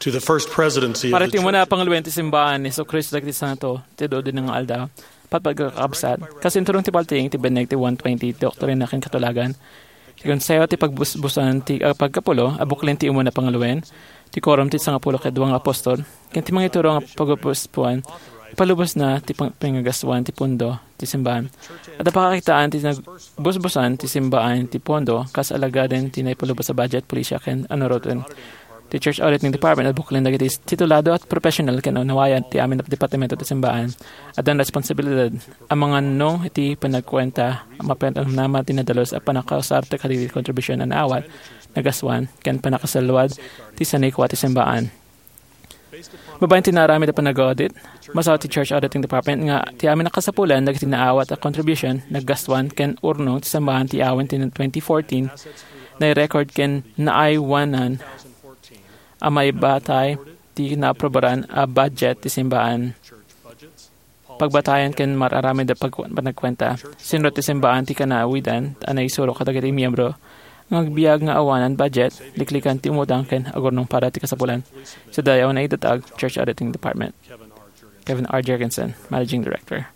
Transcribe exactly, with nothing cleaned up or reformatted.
to the first presidency of Para the ti umuna a Church. Pangaluen ti simbaan ni Jesu-Cristo dagiti Santo ti adu-adu nga aldaw. Patpat nga kakabsat, kas inturong ti paltiing ti binneg ti one twenty ti Doktrina ken Katulagan, ti Konseho ti Pagbusbusan ti, ah, Pagkapulo a buklin ti umuna a pangaluen, ti Quorum ti Sangapulo ket Dua nga Apostol, ken ti mangituro nga pagubusbuan, ipalubosna ti pang-, pangagaswan ti pondo ti simbaan. Adda pakakitaan ti nagbusbusan ti simbaan ti pondo kas alagaden ti naipalubos a budget, polisia, ken anuroten. Ti Church Auditing Department a buklin dagiti titulado a professional ken naunawayan ti amin a departamento ti simbaan. Addan responsibilidad a mangannong iti panagkuenta a mapanamnama ti nadalus a pannakausar ti kadagiti kontribusion a naawat, nagaswan, ken pannakasaluad ti sanikua ti simbaan. Babaen ti naaramid a panag-audit, masaw ti Church Auditing Department nga ti amin a kasapulan dagiti naawat a contribution, naggastuan ken urnong ti simbaan ti awan ti twenty fourteen, nai-record ken naaywanan a maibatay ti naaprobaran a budget ti simbaan. Pagbatayan ken mar-aramid a pag-, panagkuenta. Sinrot ti simbaan ti kanawidan a naisuro kadagiti miyembro nga agbiag nga awanan budget, liklikan ti umutang ken agurnong para ti kasapulan. Sa dayaw naidatag, Church Auditing Department. Kevin R. Jergensen, Managing Director.